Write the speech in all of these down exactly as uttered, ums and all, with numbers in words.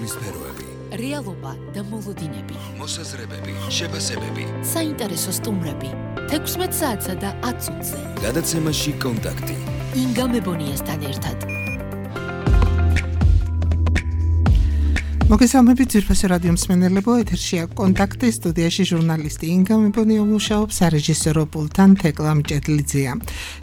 ჟურნალისტური სფეროები, რეალობა და მოლოდინები, მოსაზრებები, შეფასებები, საინტერესო სტუმრები, თექვსმეტ საათსა და ათ წუთზე. გადაცემაში კონტაქტი. ინგა მებონიასთან ერთად. მოგესალმებით ძვირფასი რადიო მსმენელებო, ეთერშია კონტაქტი, სტუდიაში ჟურნალისტი ინგა მებონია მუშაობს, სარეჟისორო პულტთან თეკლა მჭედლიძეა.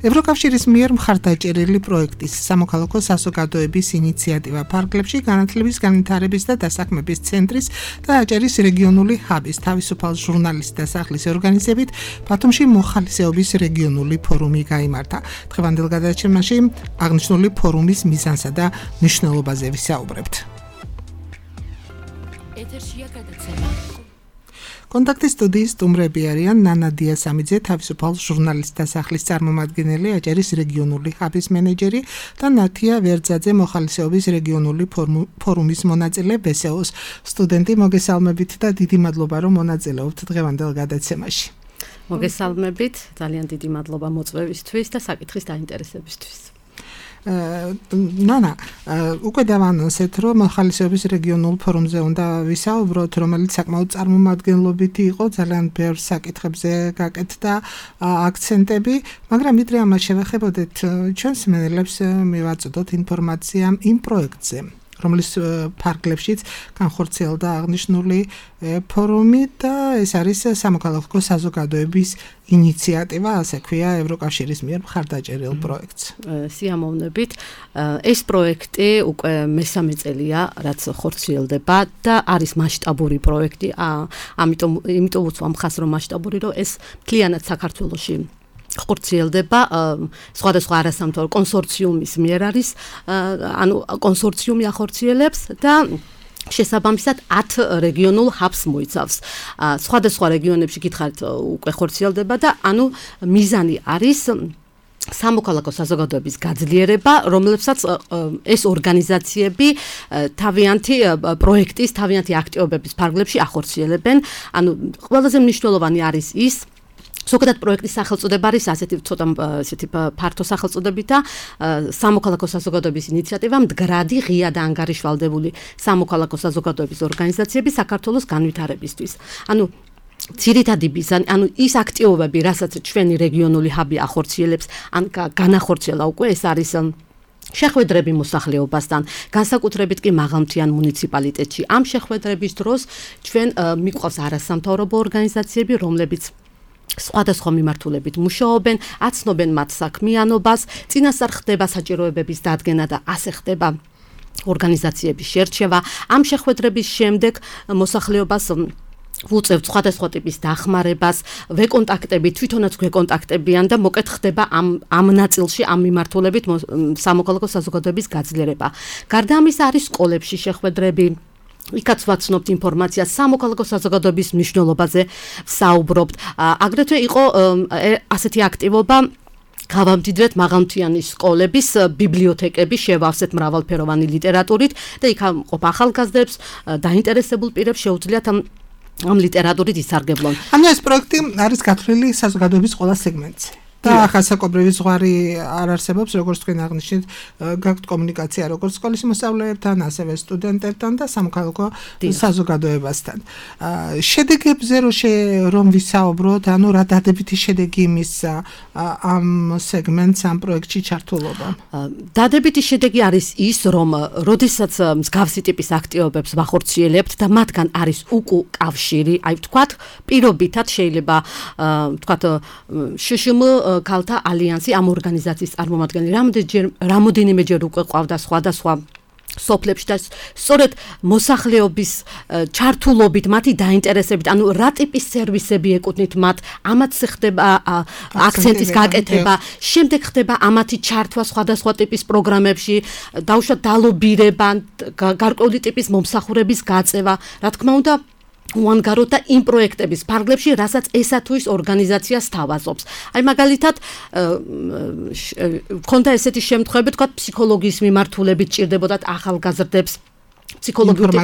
ევროკავშირის მიერ მხარდაჭერილი პროექტის სამოქალაქო საზოგადოების ინიციატივა ფარგლებში განათლების, განვითარების და დასაქმების ცენტრის და აჭარის რეგიონული ჰაბის თავისუფალ ჟურნალისტთა სახლის ორგანიზებით ბათუმში მოხალისეობის რეგიონული ფორუმი გაიმართა. დღევანდელ გადაცემაში აღნიშნული ფორუმის მიზანსა და მნიშვნელობაზე ვისაუბრებთ. ეთერშია გადაცემა. კონტაქტის სტუდიის სტუმრები არიან ნანა დიასამიძე, თავისუფალ ჟურნალისტთა სახლის წარმომადგენელი, აჭარის რეგიონული ჰაბის მენეჯერი და ნათია ვერძაძე, მოხალისეობის რეგიონული ფორუმის მონაწილე, ვესეოს სტუდენტი. მოგესალმებით და დიდი მადლობა, რომ მონაწილეობთ დღევანდელ გადაცემაში. მოგესალმებით, ძალიან დიდი მადლობა მოწვევისთვის და საკითხის დაინტერესებისთვის. ნანა, უკვე დავანონსეთ, რომ მოხალისეობის რეგიონულ ფორუმზე უნდა ვისაუბროთ, რომელიც საკმაოდ წარმომადგენლობითი იყო, ძალიან ბევრ საკითხებზე გაკეთდა აქცენტები, მაგრამ ვიდრე ამას შევეხებოდეთ, ჩვენს მსმენელებს მივაწოდოთ ინფორმაცია იმ პროექტზე, რომლის ფარგლებშიც განხორციელდა აღნიშნული ფორუმი და ეს არის სამოქალაქო საზოგადოების ინიციატივა, ასე ქვია, ევროკავშირის მიერ მხარდაჭერილ პროექტს. სიამოვნებით, ეს პროექტი უკვე მესამე წელია, რაც ხორციელდება და არის მასშტაბური პროექტი, ამიტომ იმიტომ უცვამ ხას, რომ მასშტაბური, რომ ეს მთლიანად საქართველოში ხორციელდება სხვადასხვა არასამთავრობო კონსორციუმის მიერ არის, ანუ კონსორციუმი ახორციელებს და შესაბამისად ათ რეგიონულ ჰაბს მოიცავს. სხვადასხვა რეგიონებში გითხარით უკვე ხორციელდება და ანუ მიზანი არის სამოქალაქო საზოგადოების გაძლიერება, რომლებსაც ეს ორგანიზაციები თავიანთი პროექტის, თავიანთი აქტივობების ფარგლებში ახორციელებენ. ანუ ყველაზე მნიშვნელოვანი არის ის, ზოგადად პროექტის სახელწოდება არის ასეთი ცოტა ესეთი ფართო სახელწოდებით და სამოქალაქო საზოგადოების ინიციატივა მდგრადი, ღია და ანგარიშვალდებული სამოქალაქო საზოგადოების ორგანიზაციები საქართველოს განვითარებისთვის. ანუ ძირითადი მიზანი, ანუ ის აქტივობები, რასაც ჩვენი რეგიონული ჰაბი ახორციელებს, ან განახორციელა უკვე, ეს არის შეხვედრები მოსახლეობასთან, განსაკუთრებით კი მაღალმთიან მუნიციპალიტეტში. ამ შეხვედრების დროს ჩვენ მიყვავს არასამთავრობო ორგანიზაციები, რომლებიც სხვადასხვა მიმართულებით მუშაობენ, აცნობენ მათ საქმიანობას, წინასწარ ხდება საჭიროებების დადგენა და ასე ხდება ორგანიზაციების შერჩევა. ამ შეხვედრების შემდეგ მოსახლეობას ვუწევთ სხვადასხვა ტიპის დახმარებას, ვეკონტაქტებით, თვითონაც გვეკონტაქტებიან და მოკეთ ხდება ამ ამ ნაწილში, ამ მიმართულებით სამოქალაქო საზოგადოების გაძლიერება. გარდა ამისა არის სკოლებში შეხვედრები, იქაც ვაცნობთ ინფორმაციას სამოქალაქო საზოგადოების მნიშვნელობაზე საუბრობთ. აგრეთვე იყო ასეთი აქტივობა, გავამდიდრეთ მაღალმთიანი სკოლების ბიბლიოთეკები, შევავსეთ მრავალფეროვანი ლიტერატურით და იქ ყოფ ახალგაზრდებს, დაინტერესებულ პირებს შეუძლიათ ამ ამ ლიტერატურით ისარგებლონ. ანუ ეს პროექტი არის გათვლილი საზოგადოების ყველა სეგმენტზე. და ხასაკობრივი ზღვარი არ არსებობს, როგორც თქვენ აღნიშნეთ, გაქვთ კომუნიკაცია როგორც სკოლის მოსწავლეებთან, ასევე სტუდენტებთან და სამოქალაქო საზოგადოებასთან. შედეგებზე რომ ვისაუბროთ, ანუ რა დადებითი შედეგი იმისა ამ სეგმენტს, ამ პროექტში ჩართულობამ? დადებითი შედეგი არის ის, რომ როდესაც მსგავსი ტიპის აქტივობებს ვახორციელებთ და მათგან არის უკუ კავშირი, აი ვთქვათ, პირობითად შეიძლება ვთქვათ შშმ ქალთა ალიანსი ამ ორგანიზაციის წარმომადგენელი რამოდენიმეჯერ უკვე ყავდა სხვადასხვა სოფლებში და სწორედ მოსახლეობის ჩართულობით, მათი დაინტერესებით, ანუ რა ტიპის სერვისები ეკუთვნით მათ, ამაც ხდება აქცენტის გაკეთება, შემდეგ ხდება ამათი ჩართვა სხვადასხვა ტიპის პროგრამებში, დაუშვათ დალობირება, გარკვეული ტიპის მომსახურების გაწევა, რა თქმა უნდა უანგაროთ და იმ პროექტების ფარგლებში, რასაც ესა თუ ის ორგანიზაცია სთავაზობს. აი მაგალითად, ქონდა ესეთი შემთხვევები, თქვა ფსიქოლოგიის მიმართულებით ჭირდებოდათ ახალგაზრდებს ფსიქოლოგიური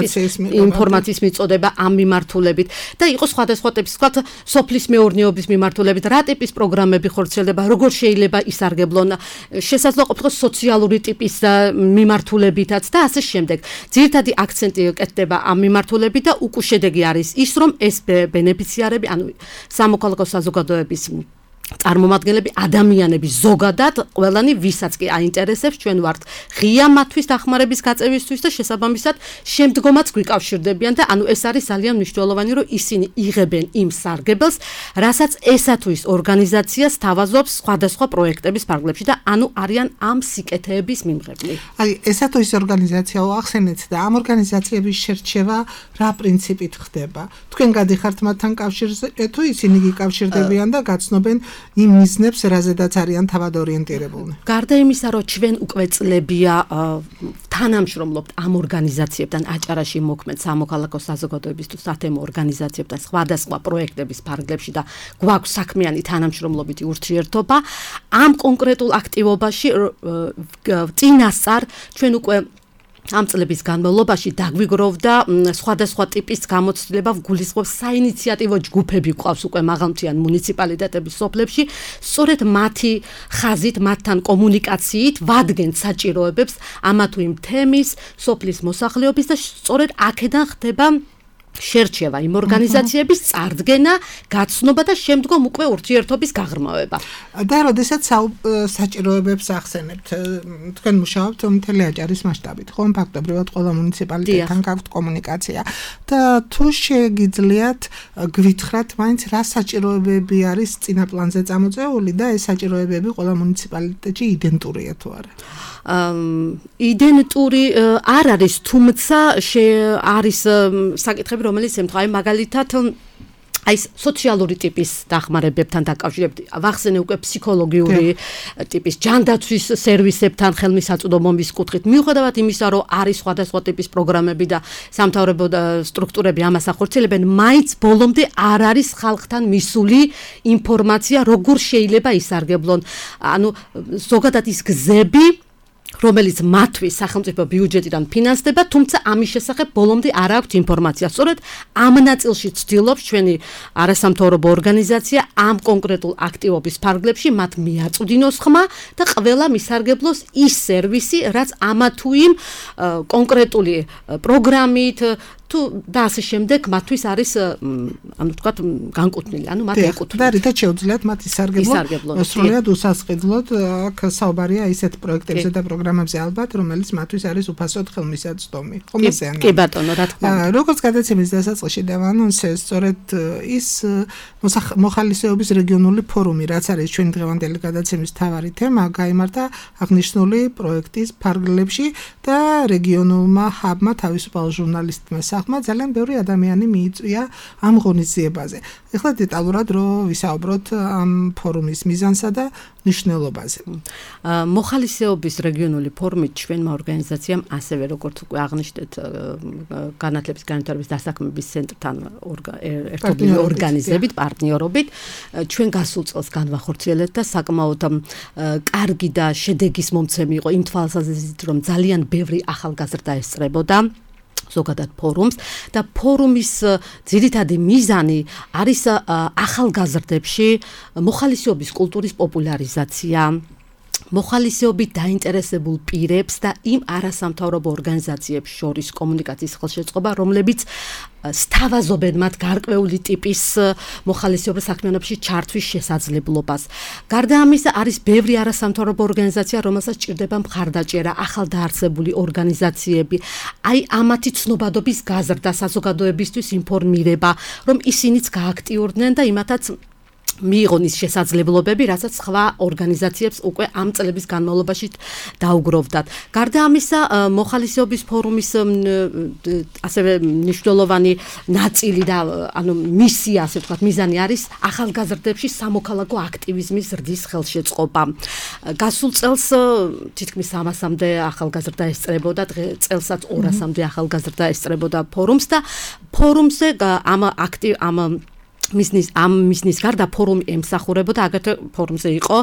ინფორმაციის მიწოდება ამ მიმართულებით და იყო სხვადასხვა ტიპის, თქვათ, სოფლის მეურნეობის მიმართულებით, რა ტიპის პროგრამები ხორციელდება, როგორ შეიძლება ისარგებლონ, შესაძლოა ყოფილიყოს სოციალური ტიპის მიმართულებითაც და ასე შემდეგ. ძირითადი აქცენტი კეთდება ამ მიმართულებით და უკუ შედეგი არის ის, რომ ეს ბენეფიციარები, ანუ სამოქალაქო საზოგადოების წარმომადგენლები, ადამიანები ზოგადად, ყველანი ვისაც კი აინტერესებს, ჩვენ ვართ ღია მათთვის დახმარების გაწევისთვის და შესაბამისად შემდგომაც გვიკავშირდებიან და ანუ ეს არის ძალიან მნიშვნელოვანი, რომ ისინი იღებენ იმ სარგებელს, რასაც ესა თუ ის ორგანიზაცია სთავაზობს სხვადასხვა პროექტების ფარგლებში და ანუ არიან ამ სიკეთეების მიმღებლი. აი, ესა თუ ის ორგანიზაციაო ახსენეთ და ამ ორგანიზაციების შერჩევა რა პრინციპით ხდება? თქვენ გადიხართ მათთან კავშირზე, თუ ისინი გიკავშირდებიან და გაცნობენ იმ მიზნებს, რაზედაც არიან თავად ორიენტირებულნი. გარდა იმისა, რომ ჩვენ უკვე წლებია თანამშრომლობთ ამ ორგანიზაციებთან, აჭარაში მოქმედ სამოქალაქო საზოგადოების თუ სათემო ორგანიზაციებთან სხვადასხვა პროექტების ფარგლებში და გვაქვს საქმიანი თანამშრომლობითი ურთიერთობა, ამ კონკრეტულ აქტივობაში წინასწარ ჩვენ უკვე ამ წლების განმავლობაში დაგვიგროვდა სხვადასხვა ტიპის გამოცდილება, გულისხმობს საინიციატივო ჯგუფები გვყავს უკვე მაღალმთიან მუნიციპალიტეტების სოფლებში, სწორედ მათი ხაზით, მათთან კომუნიკაციით ვადგენთ საჭიროებებს ამა თუ იმ თემის, სოფლის მოსახლეობის და სწორედ აქედან ხდება შერჩევა იმ ორგანიზაციების წარდგენა, გაცნობა და შემდგომ უკვე ურთიერთობის გაღრმავება. და როდესაც საჭიროებებს ახსენებთ, თქვენ მუშაობთ მთელი აჭარის მასშტაბით, ხომ ფაქტობრივად ყველა მუნიციპალიტეტთან გაქვთ კომუნიკაცია და თუ შეგიძლიათ გვითხრათ, მაინც რა საჭიროებები არის წინა პლანზე წამოწეული და ეს საჭიროებები ყველა მუნიციპალიტეტში იდენტურია თუ არა? იდენტური არ არის, თუმცა არის საკითხები, რომელიც ემთხვევა, აი მაგალითად აი სოციალური ტიპის დახმარებებთან დაკავშირებით, ვახსენე უკვე ფსიქოლოგიური ტიპის ჯანდაცვის სერვისებთან ხელმისაწვდომობის კუთხით, მიუხედავად იმისა, რომ არის სხვადასხვა ტიპის პროგრამები და სამთავრობო სტრუქტურები ამას ახორციელებენ, მაინც ბოლომდე არ არის ხალხთან მისული ინფორმაცია, როგორ შეიძლება ისარგებლონ. ანუ ზოგადად ის გზები, რომელიც მათთვის სახელმწიფო ბიუჯეტიდან ფინანსდება, თუმცა ამის შესახებ ბოლომდე არ აქვს ინფორმაცია. სწორედ ამ ნაწილში ცდილობს ჩვენი არასამთავრობო ორგანიზაცია ამ კონკრეტულ აქტივობის ფარგლებში მათ მიაწვდინოს ხმა და ყველა მისარგებლოს ის სერვისი, რაც ამა თუ იმ კონკრეტული პროგრამით თუ და ასე შემდეგ მათთვის არის ანუ თქვათ განკუთვნილი, ანუ მათ ეკუთვნიან. და რითაც შეუძლიათ მათ ისარგებლონ სრულიად უსასყიდლოდ, აქ საუბარია ისეთ პროექტებზე და პროგრამებზე ალბათ, რომელიც მათთვის არის უფასოდ ხელმისაწვდომი. ხომ ესე არის? კი ბატონო, რა თქმა უნდა. როგორც გადაცემის დასაწყისში დავანონსე, სწორედ ის მოხალისეობის რეგიონული ფორუმი, რაც არის ჩვენი დღევანდელი გადაცემის მთავარი თემა, გაიმართა აღნიშნული პროექტის ფარგლებში და რეგიონულმა ჰაბმა თავისუფალ ჟურნალისტმა ახმა ძალიან ბევრი ადამიანი მიიწვია ამ ღონისძიებაზე. ეხლა დეტალურად რო ვისაუბროთ ამ ფორუმის მიზანსა და მნიშვნელობაზე. მოხალისეობის რეგიონული ფორუმით ჩვენმა ორგანიზაციამ ასევე როგორც უკვე აღნიშნეთ განათლების განვითარების დასაქმების ცენტრთან ერთობლივი ორგანიზებით, პარტნიორობით ჩვენ გასულ წელს განვახორციელეთ და საკმაოდ კარგი და შედეგის მომცემი იყო იმ თვალსაზრისით, რომ ძალიან ბევრი ახალგაზრდა ესწრებოდა ზოგადად ფორუმს და ფორუმის ძირითადი მიზანი არის ახალგაზრდებში მოხალისეობის კულტურის პოპულარიზაცია, მოხალისეობით დაინტერესებულ პირებს და იმ არასამთავრობო ორგანიზაციებს შორის კომუნიკაციის ხელშეწყობა, რომლებიც სთავაზობენ მათ გარკვეული ტიპის მოხალისეობის საქმიანობაში ჩართვის შესაძლებლობას. გარდა ამისა, არის ბევრი არასამთავრობო ორგანიზაცია, რომელსაც ჭირდება მხარდაჭერა, ახალდაარსებული ორგანიზაციები, აი ამათი ცნობადობის გაზრდა, საზოგადოებისთვის ინფორმირება, რომ ისინიც გააქტიურდნენ და იმათაც მიიღონ ის შესაძლებლობები, რასაც სხვა ორგანიზაციებს უკვე ამ წლების განმავლობაში დაუგროვდათ. გარდა ამისა, მოხალისეობის ფორუმის ასევე მნიშვნელოვანი ნაწილი და ანუ მისია, ასე ვთქვათ, მიზანი არის ახალგაზრდებში სამოქალაქო აქტივიზმის ზრდის ხელშეწყობა. გასულ წელს თითქმის სამასამდე ახალგაზრდა ესწრებოდა, წელსაც ორასამდე ახალგაზრდა ესწრებოდა ფორუმს და ფორუმზე ამ აქტივ ამ მისნის ამ მისნის გარდა ფორუმი ემსახურებოდა აგრეთვე ფორუმზე იყო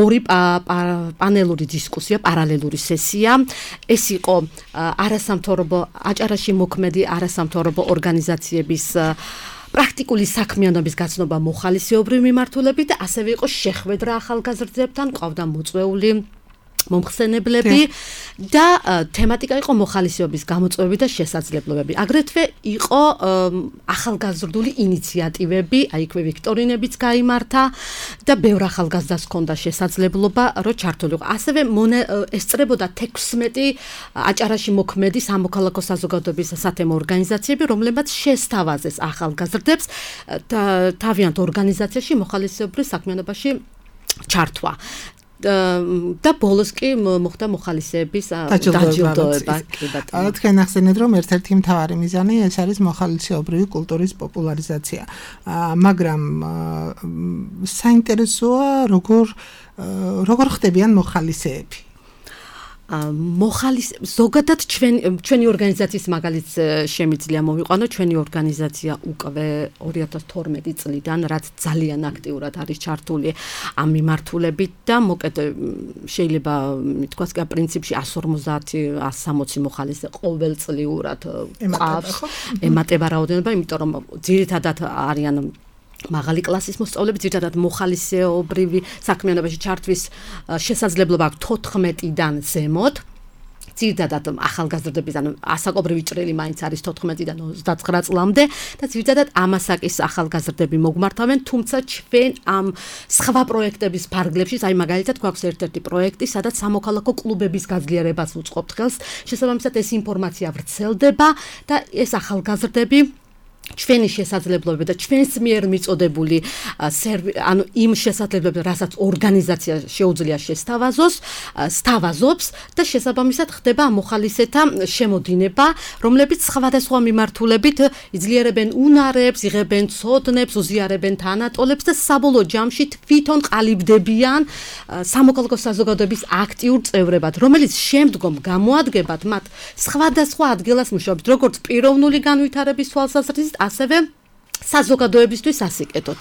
ორი პანელური დისკუსია, პარალელური სესია. ეს იყო არასამთავრობო აჭარაში მოქმედი არასამთავრობო ორგანიზაციების პრაქტიკული საქმიანობის გაცნობა მოხალისეობრივი მიმართულებით და ასევე იყო შეხვედრა ახალგაზრდებთან, ყავდა მოწვეული მომხსენებლები და თემატიკა იყო მოხალისეობის გამოწვევები და შესაძლებლობები. აგრეთვე იყო ახალგაზრდული ინიციატივები, აი იქვე ვიქტორინებიც გაიმართა და ბევრ ახალგაზრდას ჰქონდა შესაძლებლობა, რომ ჩართულიყო. ასევე ესწრებოდა თექვსმეტი აჭარაში მოქმედი სამოქალაქო საზოგადოების სათემო ორგანიზაციები, რომლებიც შესთავაზეს ახალგაზრდებს თავიანთ ორგანიზაციაში მოხალისეობრივ საქმიანობაში ჩართვა. და ბოლოს კი მოხდა მოხალისეების დაჯილდოება. თქვენ ახსენეთ, რომ ერთ-ერთი მთავარი მიზანი ეს არის მოხალისეობრივი კულტურის პოპულარიზაცია. მაგრამ საინტერესოა როგორ როგორ ხდებიან მოხალისეები. მოხალის ზოგადად ჩვენ ჩვენი ორგანიზაციის მაგალითს შემიძლია მოვიყვანო. ჩვენი ორგანიზაცია უკვე ორი ათას თორმეტი წლიდან რაც ძალიან აქტიურად არის ჩართული ამ მიმართულებით და მოკეთ შეიძლება ითქვას კი პრინციპში εκατს ორმოცდაათი εκατს სამოცი მოხალისე ყოველწლიურად ყავს ემატება რაოდენობა, იმიტომ რომ ძირითადად არიან მაღალი კლასის მოსწავლეები, ძირითადად მოხალისეობრივი საქმიანობაში ჩართვის შესაძლებლობა აქვს თოთხმეტიდან ზემოთ. ძირითადად ახალგაზრდების ან ასაკობრივი ჭრილი მაინც არის თოთხმეტიდან ოცდაცხრა წლამდე და ძირითადად ამასაკის ახალგაზრდები მოგმართავენ, თუმცა ჩვენ ამ სხვა პროექტების ფარგლებში, აი მაგალითად გვაქვს ერთ-ერთი პროექტი, სადაც სამოქალაქო კლუბების გაძლიერებას უწყობთ ხელს, შესაბამისად ეს ინფორმაცია ვრცელდება და ეს ახალგაზრდები ჩვენი შესაძლებლობები და ჩვენს მიერ მიწოდებული ანუ იმ შესაძლებლობები, რასაც ორგანიზაცია შეუძლია შესთავაზოს, სთავაზობს და შესაბამისად ხდება მოხალისეთა შემოდინება, რომლებიც სხვადასხვა მიმართულებით იძლიერებენ უნარებს, იღებენ ცოდნებს, უზიარებენ თანატოლებს და საბოლოო ჯამში თვითონ ყალიბდებიან სამოქალაქო საზოგადოების აქტიურ წევრებად, რომელიც შემდგომ გამოადგებათ მათ სხვადასხვა ადგილას მუშაობით, როგორც პიროვნული განვითარების თვალსაზრისით, ასევე საზოგადოებისთვის ასიკეთოთ.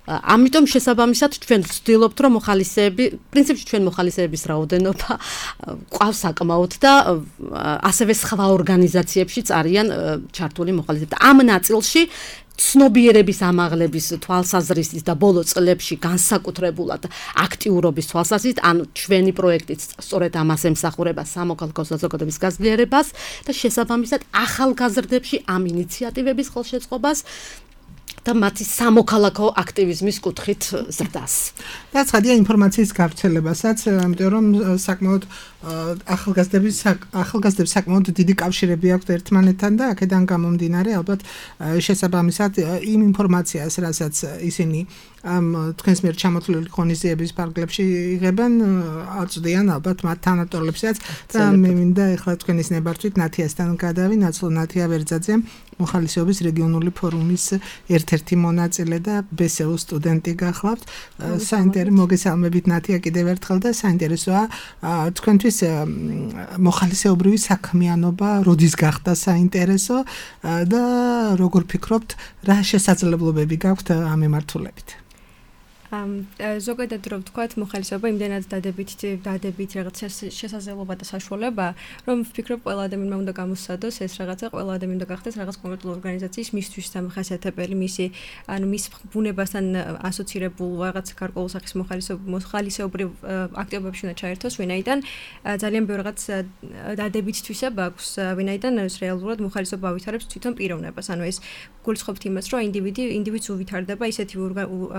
ამიტომ შესაბამისად ჩვენ ვცდილობთ, რომ მოხალისეები, პრინციპში ჩვენ მოხალისეების რაოდენობა ყავს საკმაოდ და ასევე სხვა ორგანიზაციებშიც არიან ჩართული მოხალისეები. ამ ნაწილში ცნობიერების ამაღლების თვალსაზრისით და ბოლო წლებში განსაკუთრებულად აქტიურობის თვალსაზრისით, ანუ ჩვენი პროექტიც სწორედ ამას ემსახურება სამოქალაქო საზოგადოების გაძლიერებას და შესაბამისად ახალგაზრდებში ამ ინიციატივების ხელშეწყობას და მათი სამოქალაქო აქტივიზმის კუთხით ზრდას. და ცხადია ინფორმაციის გავრცელებასაც, იმიტომ რომ საკმაოდ ახალგაზრდების ახალგაზრდებს საკმაოდ დიდი კავშირები აქვთ ერთმანეთთან და აქედან გამომდინარე ალბათ შესაბამისად იმ ინფორმაციას, რასაც ისინი ამ თქვენს მიერ ჩამოთვლილი ღონისძიების ფარგლებში იღებენ, აწვდიან ალბათ მათ თანატოლებსაც და მე მინდა ეხლა თქვენის ნებართვით ნათიასთან გადავი, ნაცვლ ნათია ვერძაძე, მოხალისეობის რეგიონული ფორუმის ერთ-ერთი მონაწილე და ბესეუ სტუდენტი გახლავთ. საინტერესო მოგესალმებით ნათია კიდევ ერთხელ და საინტერესოა თქვენთვის მოხალისეობრივი საქმიანობა როდის გახდა საინტერესო და როგორ ფიქრობთ, რა შესაძლებლობები გაქვთ ამ მიმართულებით? ამ ზოგადად რომ ვთქვათ, მოხალისეობა იმდენად დადებით დადებით რაღაც შესაძლებლობა და საშუალება, რომ ვფიქრობ ყველა ადამიანმა უნდა გამოსცადოს ეს რაღაცა, ყველა ადამიანი უნდა გახდეს რაღაც კონკრეტული ორგანიზაციის მისთვის დამახასიათებელი, მისი ანუ მის ბუნებასთან ასოცირებულ რაღაც გარკვეულ სახის მოხალისეობრივ აქტივობებში უნდა ჩაერთოს, ვინაიდან ძალიან ბევრ რაღაც დადებით თვისება აქვს, ვინაიდან ეს რეალურად მოხალისეობა ავითარებს თვითონ პიროვნებას, ანუ ეს გულისხმობთ იმას, რომ ინდივიდი ინდივიდს უვითარდება ისეთი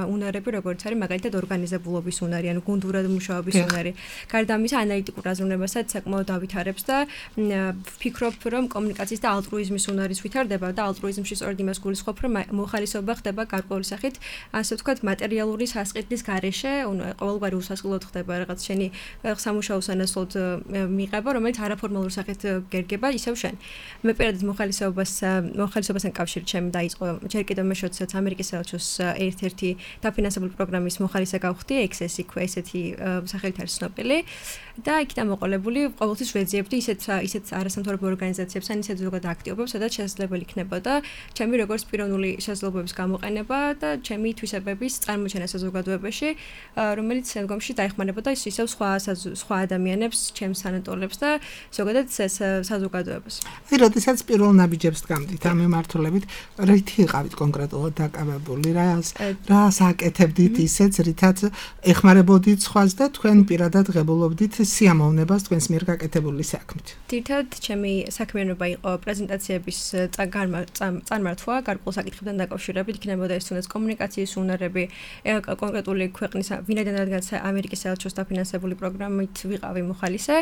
უნარები, როგორც არის მაგალითად ორგანიზებულობის უნარი, ანუ გუნდურად მუშაობის უნარი. გარდა ამისა, ანალიტიკურ აზროვნებასაც საკმაოდ ავითარებს და ვფიქრობ, რომ კომუნიკაციის და ალტრუიზმის უნარის ვითარდება და ალტრუიზმში სწორედ იმას გულისხმობ, რომ მოხალისეობა ხდება გარკვეული სახით, ასე ვთქვათ, მატერიალური სასყიდლის გარეშე, ყოველგვარი უსასყიდლოდ ხდება რაღაც შენი სამუშაო სანაცვლოდ მიღება, რომელიც არაფორმალურ სახით გერგება, ისევ შენ. მე პირადად მოხალისეობას მოხალისეობასთან კავშირით ჩემ დაიწყო ჯერ კიდევ მე შევცეთ ამერიკის საელჩოს ერთ-ერთი დაფინანსებული პროგრამა პროგრამის მოხალისე გავხდი, ექსესი ქვია ესეთი სახელით არის ცნობილი და იქიდან მოყოლებული ყოველთვის ვეძიებდი ისეთ ისეთ არასამთავრობო ორგანიზაციებს, ან ისეთ ზოგად აქტივობებს, სადაც შესაძლებელი იქნებოდა ჩემი როგორც პიროვნული შესაძლებლობების გამოყენება და ჩემი თვისებების წარმოჩენა საზოგადოებაში, რომელიც შემდგომში დაეხმარებოდა ისევ სხვა სხვა ადამიანებს, ჩემს სანატოლებს და ზოგადად საზოგადოებას. აი, როდესაც პირველ ნაბიჯებს დგამდით ამ მიმართულებით, რითი იყავით კონკრეტულად დაკავებული, რა რას აკეთებდით ისეც, რითაც ეხმარებოდით სხვას და თქვენ პირადად ღებულობდით სიამოვნებას თქვენს მიერ გაკეთებული საქმით. თითქოს ჩემი საქმიანობა იყო პრეზენტაციების წარმართვა, გარკვეულ საკითხებთან დაკავშირებით, იქნებოდა ეს თუნდაც კომუნიკაციის უნარები, კონკრეტული ქვეყნის ვინაიდან რადგან ამერიკის საელჩოს დაფინანსებული პროგრამით ვიყავი მოხალისე,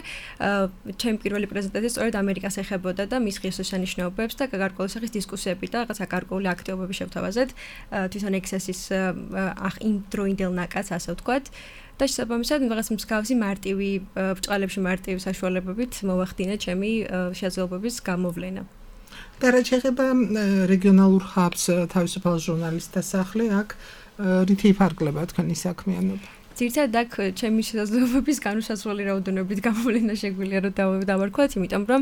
ჩემი პირველი პრეზენტაცია სწორედ ამერიკას ეხებოდა და მის ღირსშესანიშნაობებს და გარკვეული სახის დისკუსიები და რაღაცა გარკვეული აქტივობები შევთავაზეთ თვითონ ექსესის იმ დროინდელ ნაკადს, ასე ვთქვათ. და შესაბამისად რაღაც მსგავსი მარტივი ბჭყალებში მარტივი საშუალებებით მოვახდინე ჩემი შესაძლებლობების გამოვლენა. და რაც შეეხება რეგიონალურ ჰაბს, თავისუფალ ჟურნალისტთა სახლი, აქ რითი იფარგლება თქვენი საქმიანობა? ძირითადად აქ ჩემი შესაძლებლობების განუსაზღვრელი რაოდენობით გამოვლენა შეგვიძლია რომ დავარქვათ, იმიტომ რომ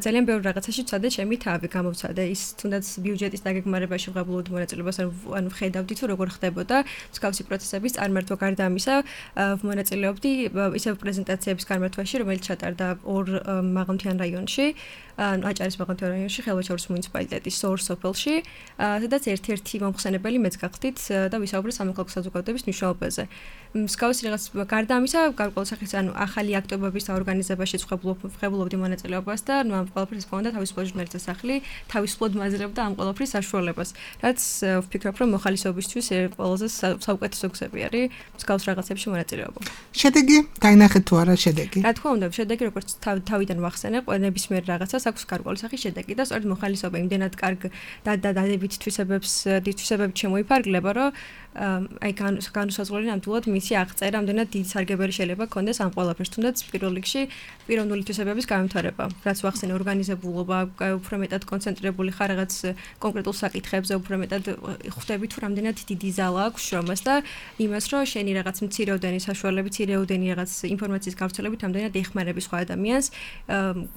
ძალიან ბევრ რაღაცაში ვცადე ჩემი თავი გამოვცადე. ის თუნდაც ბიუჯეტის დაგეგმარებაში ვღებულობდი მონაწილეობას, ანუ ვხედავდი თუ როგორ ხდებოდა მსგავსი პროცესების წარმართვა. გარდა ამისა, მონაწილეობდი ისევ პრეზენტაციების გამართვაში, რომელიც ჩატარდა ორ მაღალმთიან რაიონში, ანუ აჭარის მაღალმთიან რაიონში, ხელვაჩაურის მუნიციპალიტეტის ორ სოფელში, სადაც ერთ-ერთი მომხსენებელი მეც გახდით და ვისაუბრე სამოქალაქო საზოგადოების მნიშვნელობაზე. მსგავსი რაღაც გარდა ამისა, გარკვეულ სახის ანუ ახალი აქტივობების საორგანიზებაშიც ვღებულობდი მონაწილეობას და ნუ ამ ყველაფერს ჰქონდა თავისუფალი ჟურნალისტთა სახლი, თავისუფლად მაძლევდა ამ ყველაფრის საშუალებას. რაც ვფიქრობ, რომ მოხალისეობისთვის ყველაზე საუკეთესო გზები არის მსგავს რაღაცებში მონაწილეობა. შედეგი, დაინახეთ თუ არა შედეგი? რა თქმა უნდა, შედეგი როგორც თავიდან ვახსენე, ნებისმიერ რაღაცას აქვს გარკვეული სახის შედეგი და სწორედ მოხალისეობა იმდენად კარგ და დადებით თვისებებს, თვისებებით შემოიფარგლება, რომ აი განუსაზღვრელი ნამდვილად მისი აღწერა ამდენად დიდი სარგებელი შეიძლება ქონდეს ამ ყველაფერს, თუნდაც პირველ რიგში პიროვნული თვისებების განვითარება, რაც ვახსენე ორგანიზებულობა, უფრო მეტად კონცენტრირებული ხარ რაღაც კონკრეტულ საკითხებზე, უფრო მეტად ხვდები თუ რამდენად დიდი ზალა აქვს შრომას და იმას, რომ შენი რაღაც მცირეოდენი საშუალებით, მცირეოდენი რაღაც ინფორმაციის გავრცელებით ამდენად ეხმარები სხვა ადამიანს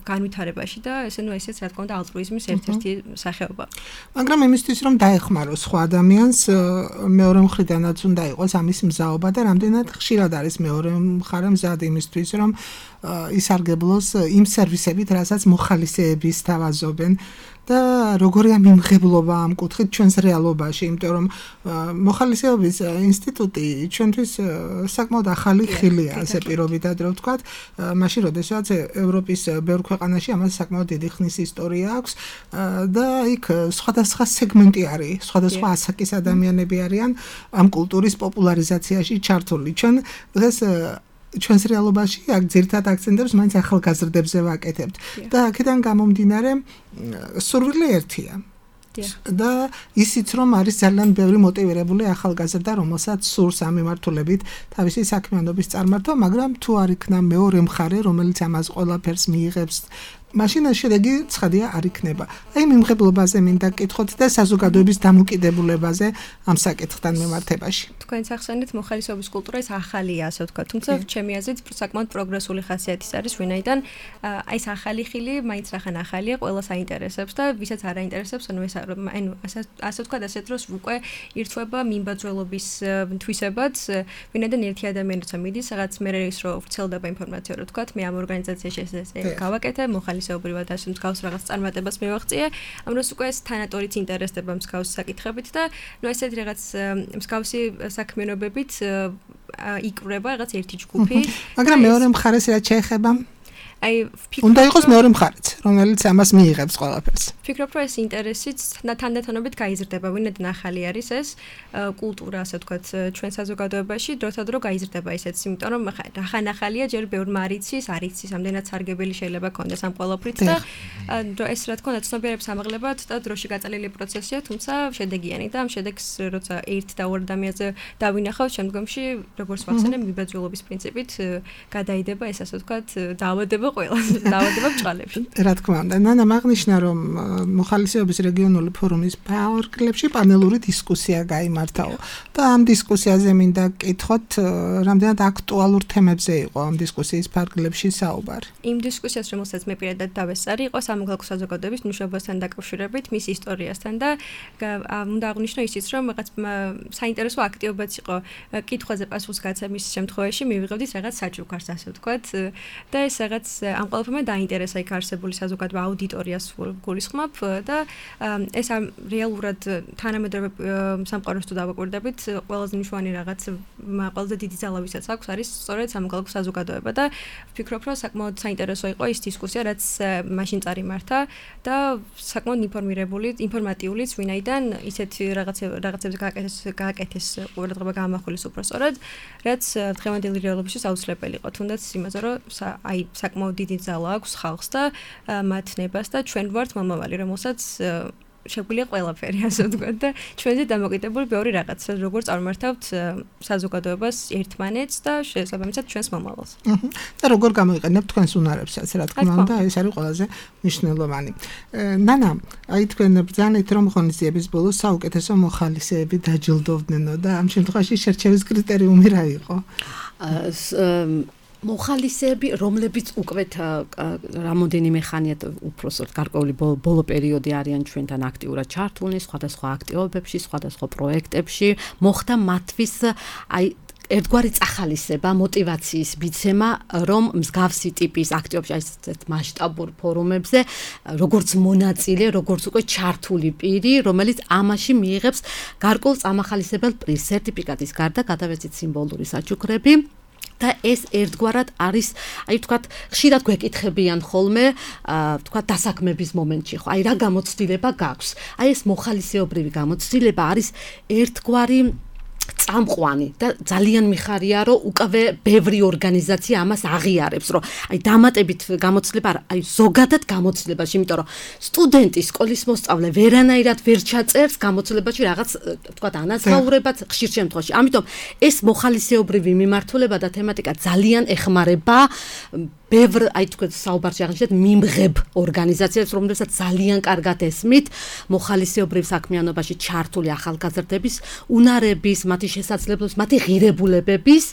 განვითარებაში და ესე ნუ ესეც რა თქმა უნდა ალტრუიზმის ერთ-ერთი სახეობა. მაგრამ იმისთვის რომ დაეხმარო სხვა ადამიანს, მეორე მხრიდანაც უნდა იყოს ამის მზაობა და რამდენად ხშირად არის მეორე მხარე მზად იმისთვის, რომ ისარგებლოს იმ სერვისებით, რასაც მოხალისეები სთავაზობენ და როგორია მიმღებლობა ამ კუთხით ჩვენს რეალობაში, იმიტომ რომ მოხალისეობის ინსტიტუტი ჩვენთვის საკმაოდ ახალი ხილია, ასე პირობითად რომ ვთქვათ, მაშინ როდესაც ევროპის ბევრ ქვეყანაში ამას საკმაოდ დიდი ხნის ისტორია აქვს და იქ სხვადასხვა სეგმენტი არის, სხვადასხვა ასაკის ადამიანები არიან ამ კულტურის პოპულარიზაციაში ჩართული. ჩვენ დღეს ჩვენს რეალობაში აქ ძირითად აქცენტებს მაინც ახალგაზრდებზე ვაკეთებთ და აქედან გამომდინარე სურვილი ერთია. და ისიც რომ არის ძალიან ბევრი მოტივირებული ახალგაზრდა, რომელსაც სურს ამ მიმართულებით თავისი საქმიანობის წარმართვა, მაგრამ თუ არ იქნა მეორე მხარე, რომელიც ამას ყველაფერს მიიღებს, მაშინ შედეგი ცხადია არ იქნება. აი მიმღებლობაზე მინდა გკითხოთ და საზოგადოების დამოკიდებულებაზე ამ საკითხთან მიმართებაში. თქვენ ახსენეთ მოხალისეობის კულტურა ის ახალია, ასე ვთქვათ, თუმცა ჩემი აზრით საკმაოდ პროგრესული ხასიათის არის, ვინაიდან აი ეს ახალი ხილი მაინც რახან ახალია, ყველას აინტერესებს და ვისაც არ აინტერესებს, ანუ ეს ანუ ასე ვთქვათ, ასეთ დროს უკვე ირთვება მიმბაძველობის თვისებაც, ვინაიდან ერთი ადამიანი როცა მიდის, რაღაც მე ის რო ვრცელდება ინფორმაცია, რო ვთქვათ, მე ამ ორგანიზაციაში ეს გავაკეთე, მოხალისეობრივად ასე მსგავს რაღაც წარმატებას მივაღწიე, ამ დროს უკვე ეს თანატორიც ინტერესდება მსგავს საკითხებით და ნუ ესეთი რაღაც მსგავსი საქმიანობებით იკვრება რაღაც ერთი ჯგუფი. მაგრამ მეორე მხარეს რაც შეეხება აი უნდა იყოს მეორე მხარეც, რომელიც ამას მიიღებს ყველაფერს. ვფიქრობ, რომ ეს ინტერესიც თანდათანობით გაიზრდება, ვინაიდან ახალი არის ეს კულტურა, ასე ვთქვათ, ჩვენ საზოგადოებაში, დროთა დრო გაიზრდება ისეც, იმიტომ რომ ახან ახალია, ჯერ ბევრ მარიცის, არიცის, ამდენად სარგებელი შეიძლება ქონდეს ამ ყველაფრით და ეს რა თქმა უნდა ცნობიერებს ამაღლებად და დროში გაწელილი პროცესია, თუმცა შედეგიანი და ამ შედეგს როცა ერთ და ორ ადამიანზე დავინახავთ, შემდგომში როგორც ვახსენე, მიმბაძველობის პრინციპით გადაიდება ეს, ასე ვთქვათ, დაავადება ხდება ყველას დაავადება ბჭყალებში. რა თქმა უნდა, ნანა მაგნიშნა რომ მოხალისეობის რეგიონული ფორუმის ფარგლებში პანელური დისკუსია გაიმართაო და ამ დისკუსიაზე მინდა გკითხოთ, რამდენად აქტუალურ თემებზე იყო ამ დისკუსიის ფარგლებში საუბარი. იმ დისკუსიას, რომელსაც მე პირადად დავესწარი, იყო სამოქალაქო საზოგადოების მნიშვნელობასთან დაკავშირებით, მის ისტორიასთან და უნდა აღვნიშნო ისიც, რომ რაღაც საინტერესო აქტივობაც იყო კითხვაზე პასუხის გაცემის შემთხვევაში მივიღებდით რაღაც საჩუქარს, ასე ვთქვათ, და ეს რაღაც ამ ყველაფერმა დაინტერესა იქ არსებული საზოგადოება აუდიტორიას გულისხმობ და ეს რეალურად თანამედროვე სამყაროს თუ დავაკვირდებით, ყველაზე მნიშვნელოვანი რაღაც ყველაზე დიდი ძალა ვისაც აქვს არის სწორედ სამოქალაქო საზოგადოება და ვფიქრობ, რომ საკმაოდ საინტერესო იყო ის დისკუსია, რაც მაშინ წარიმართა და საკმაოდ ინფორმირებული, ინფორმატიულიც, ვინაიდან ისეთ რაღაცებზე გააკეთეს გააკეთეს ყურადღება გაამახვილეს უფრო სწორად, რაც დღევანდელი რეალობისთვის აუცილებელი იყო. თუნდაც იმაზე, რომ აი საკმაოდ დიდი ძალა აქვს ხალხს და მათ ნებას და ჩვენ ვართ მომავალი, რომელსაც შეგვიძლია ყველაფერი, ასე ვთქვათ და ჩვენზე დამოკიდებული ბევრი რაღაც, როგორ წარმართავთ საზოგადოებას ერთმანეთს და შესაბამისად ჩვენს მომავალს. და როგორ გამოიყენებთ თქვენს უნარებსაც, რა თქმა უნდა, ეს არის ყველაზე მნიშვნელოვანი. ნანა, აი თქვენ ბრძანეთ, რომ ღონისძიების ბოლოს საუკეთესო მოხალისეები დაჯილდოვდნენო და ამ შემთხვევაში შერჩევის კრიტერიუმი რა იყო? მოხალისეები, რომლებიც უკვე რამოდენიმე ხანია უпроსოდ გარკვეული ბოლო პერიოდი არიან ჩვენთან აქტიურად ჩართულნი სხვადასხვა აქტივობებში, სხვადასხვა პროექტებში, მოხდა მათთვის აი ერთგვარი წახალისება, мотиваციის მიცემა, რომ მსგავსი ტიპის აქტივობებში, აი ესეთ მასშტაბურ ფორუმებზე, როგორც მონაწილე, როგორც უკვე ჩართული პირი, რომელიც ამაში მიიღებს გარკვეულ წამახალისებელ პრიზს, სერტიფიკატის გარდა გადავეცით სიმბოლური საჩუქრები. და ეს ერთგვარად არის, აი ვთქვათ, ხშირად გვეკითხებიან ხოლმე, ვთქვათ, დასაქმების მომენტში, ხო, აი რა გამოცდილება გაქვს. აი ეს მოხალისეობრივი გამოცდილება არის ერთგვარი წამყვანი და ძალიან მიხარია, რომ უკვე ბევრი ორგანიზაცია ამას აღიარებს, რომ აი დამატებით გამოცდილება, აი ზოგადად გამოცდილებაში, იმიტომ რომ სტუდენტი, სკოლის მოსწავლე ვერანაირად ვერ ჩაწერს გამოცდილებაში რაღაც, ვთქვათ, ანაზღაურებაც ხშირ შემთხვევაში. ამიტომ ეს მოხალისეობრივი მიმართულება და თემატიკა ძალიან ეხმარება ბევრ, აი თქვენ საუბარში აღნიშნეთ, მიმღებ ორგანიზაციებს, რომლებსაც ძალიან კარგად ესმით მოხალისეობრივ საქმიანობაში ჩართული ახალგაზრდების უნარების, მათი შესაძლებლობის, მათი ღირებულებების,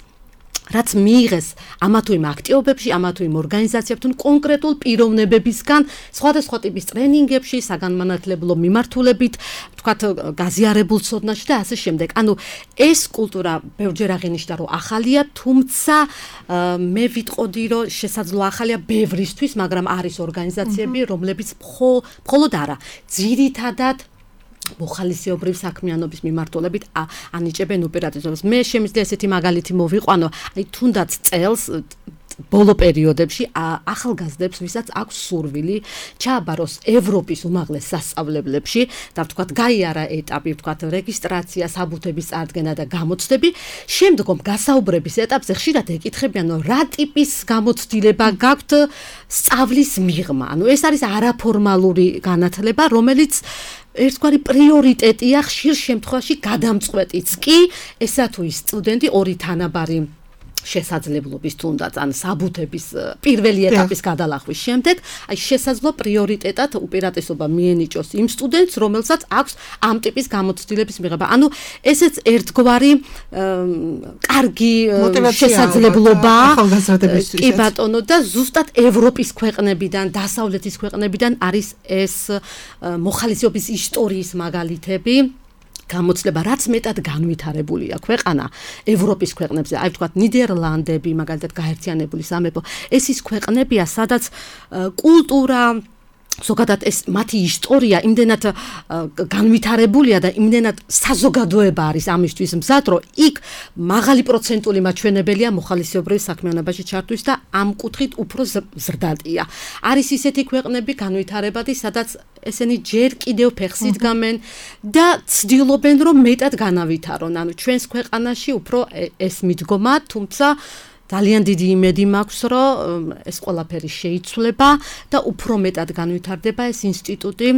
რაც მიიღეს ამა თუ იმ აქტივობებში, ამა თუ იმ ორგანიზაციებთან კონკრეტულ პიროვნებებისგან, სხვადასხვა ტიპის ტრენინგებში, საგანმანათლებლო მიმართულებით, ვთქვათ, გაზიარებულ ცოდნაში და ასე შემდეგ. ანუ ეს კულტურა ბევრჯერ აღინიშნა, რომ ახალია, თუმცა მე ვიტყოდი, რომ შესაძლოა ახალია ბევრისთვის, მაგრამ არის ორგანიზაციები, რომლებიც მხოლოდ არა, ძირითადად მოხალისეობრივ საქმიანობის მიმართულებით ანიჭებენ უპირატესობას. მე შემიძლია ესეთი მაგალითი მოვიყვანო, აი თუნდაც წელს ბოლო პერიოდებში ახალგაზრდებს, ვისაც აქვს სურვილი ჩააბაროს ევროპის უმაღლეს სასწავლებლებში და ვთქვათ, გაიარა ეტაპი, ვთქვათ, რეგისტრაცია, საბუთების წარდგენა და გამოცდები, შემდგომ გასაუბრების ეტაპზე ხშირად ეკითხებიან, რომ რა ტიპის გამოცდილება გაქვთ სწავლის მიღმა. ანუ ეს არის არაფორმალური განათლება, რომელიც ერთგვარი პრიორიტეტია ხშირ შემთხვევაში გადამწყვეტიც კი, ესა თუ ის სტუდენტი ორი თანაბარი შესაძლებლობის თუნდაც ან საბუთების პირველი ეტაპის გადალახვის შემდეგ, აი შესაძლო პრიორიტეტად უპირატესობა მიენიჭოს იმ სტუდენტს, რომელსაც აქვს ამ ტიპის გამოცდილების მიღება. ანუ ესეც ერთგვარი კარგი შესაძლებლობა კი ბატონო და ზუსტად ევროპის ქვეყნებიდან, დასავლეთის ქვეყნებიდან არის ეს მოხალისეობის ისტორიის მაგალითები. გამოცდილება, რაც მეტად განვითარებულია ქვეყანა ევროპის ქვეყნებზე, აი ვთქვათ, ნიდერლანდები, მაგალითად გაერთიანებული სამეფო, ეს ის ქვეყნებია, სადაც კულტურა ზოგადად ეს მათი ისტორია იმდენად განვითარებულია და იმდენად საზოგადოება არის ამისთვის მზად, რომ იქ მაღალი პროცენტული მაჩვენებელია მოხალისეობრივ საქმიანობაში ჩართვის და ამ კუთხით უფრო ზრდადია. არის ისეთი ქვეყნები განვითარებადი, სადაც ესენი ჯერ კიდევ ფეხს იდგამენ და ცდილობენ, რომ მეტად განავითარონ. ანუ ჩვენს ქვეყანაში უფრო ეს მიდგომა, თუმცა ძალიან დიდი იმედი მაქვს, რომ ეს ყველაფერი შეიცვლება და უფრო მეტად განვითარდება ეს ინსტიტუტი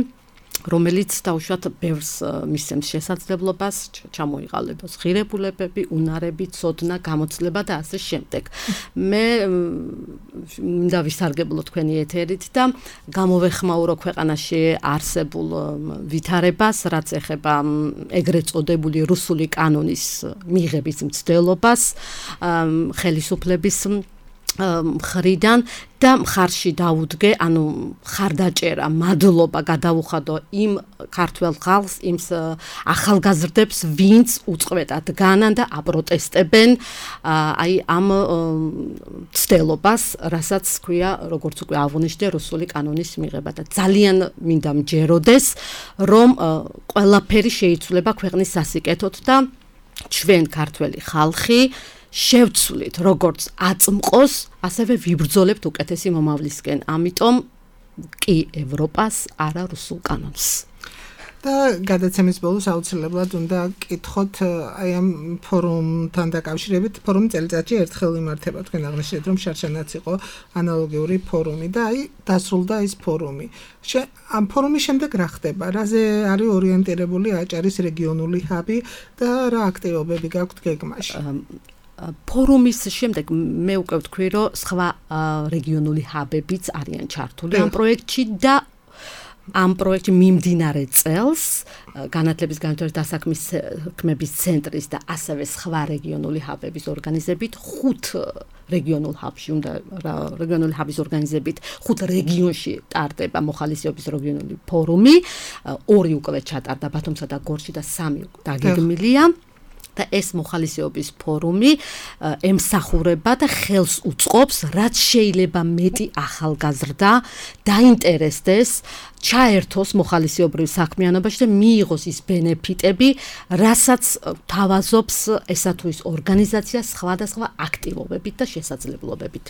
რომელიც დაუშვათ ბევრს მისცემს შესაძლებლობას ჩამოიყალიბოს ღირებულებები, უნარები, ცოდნა, გამოცდილება და ასე შემდეგ. მე მინდა ვისარგებლო თქვენი ეთერით და გამოვეხმაურო ქვეყანაში არსებულ ვითარებას, რაც ეხება ეგრეთ წოდებული რუსული კანონის მიღების მცდელობას, ხელისუფლების მხრიდან და მხარში დაუდგე, ანუ ხარდაჭერა, მადლობა გადაუხადო იმ ქართველ ხალხს, იმ ახალგაზრდებს, ვინც უწყვეტად განან და აპროტესტებენ აი ამ ცდელობას, რასაც ქვია, როგორც უკვე აღვნიშნე, რუსული კანონის მიღება და ძალიან მინდა მჯეროდეს, რომ ყველაფერი შეიცვლება ქვეყნის სასიკეთოდ და ჩვენ ქართველი ხალხი შევცვლით როგორც აწმყოს, ასევე ვიბრძოლებთ უკეთესი მომავლისკენ. ამიტომ კი ევროპას, არა რუსულ კანონს. და გადაცემის ბოლოს აუცილებლად უნდა კითხოთ აი ამ ფორუმთან დაკავშირებით. ფორუმი წელიწადში ერთხელ იმართება. თქვენ აღნიშნეთ, რომ შარშანაც იყო ანალოგიური ფორუმი და აი დასრულდა ეს ფორუმი. ამ ფორუმის შემდეგ რა ხდება? რაზე არის ორიენტირებული აჭარის რეგიონული ჰაბი და რა აქტივობები გაქვთ გეგმაში? ფორუმის შემდეგ მე უკვე ვთქვი, რომ სხვა რეგიონული ჰაბებიც არიან ჩართული ამ პროექტში და ამ პროექტში მიმდინარე წელს განათლების განვითარების დასაქმების ცენტრის და ასევე სხვა რეგიონული ჰაბების ორგანიზებით ხუთ რეგიონულ ჰაბში უნდა რეგიონული ჰაბის ორგანიზებით ხუთ რეგიონში ტარდება მოხალისეობის რეგიონული ფორუმი, ორი უკვე ჩატარდა ბათუმსა და გორში და სამი დაგეგმილია. და ეს მოხალისეობის ფორუმი ემსახურება და ხელს უწყობს, რაც შეიძლება მეტი ახალგაზრდა დაინტერესდეს, ჩაერთოს მოხალისეობრივ საქმიანობაში და მიიღოს ის ბენეფიტები, რასაც თავაზობს ესა თუ ის ორგანიზაცია სხვადასხვა აქტივობებით და შესაძლებლობებით.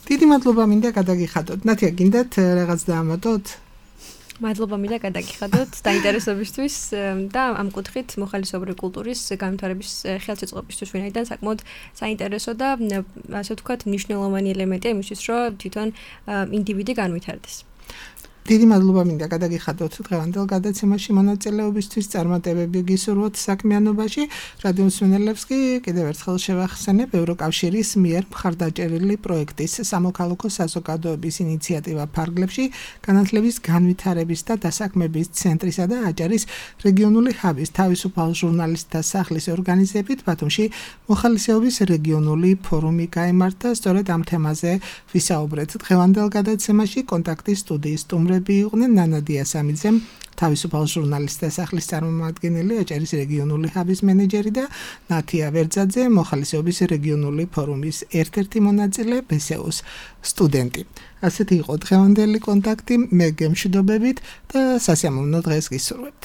დიდი მადლობა მინდა გადაგიხადოთ. ნათია, გინდათ რაღაც დაამატოთ? მადლობა მინდა გადაგიხადოთ დაინტერესებისთვის და ამ კუთხით მოხალისეობრივი კულტურის განვითარების ხელშეწყობისთვის ვინაიდან საკმაოდ საინტერესო და ასე ვთქვათ მნიშვნელოვანი ელემენტია იმისთვის, რომ თვითონ ინდივიდი განვითარდეს. დიდი მადლობა მინდა გადაგიხადოთ დღევანდელ გადაცემაში მონაწილეობისთვის, წარმატებები გისურვოთ საქმიანობაში. რადიო მსმენელებს კი კიდევ ერთხელ შევახსენებ ევროკავშირის მიერ მხარდაჭერილი პროექტის სამოქალაქო საზოგადოების ინიციატივა ფარგლებში განათლების განვითარების და დასაქმების ცენტრისა და აჭარის რეგიონული ჰაბის თავისუფალ ჟურნალისტთა სახლის ორგანიზებით ბათუმში მოხალისეობის რეგიონული ფორუმი გაიმართა. სწორედ ამ თემაზე ვისაუბრეთ დღევანდელ გადაცემაში. კონტაქტის სტუდიის სტუმრები იყვნენ ნანადია სამიძე, თავისუფალ ჟურნალისტთა სახლის წარმომადგენელი, აჭარის რეგიონული ჰაბის მენეჯერი და ნათია ვერძაძე, მოხალისეობის რეგიონული ფორუმის ერთ-ერთი მონაწილე, ბესეუს სტუდენტი. ასეთი იყო დღევანდელი კონტაქტი, მე გემშვიდობებით და სასიამოვნო დღეს გისურვებთ.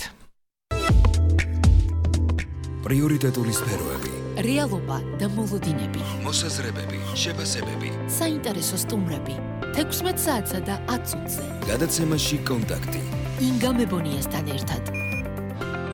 პრიორიტეტული სფეროები, რეალობა და მოლოდინები, მოსაზრებები, შეფასებები, საინტერესო სტუმრები, თექვსმეტ საათსა და ათ წუთზე. გადაცემაში კონტაქტი. ინგა მებონიასთან ერთად.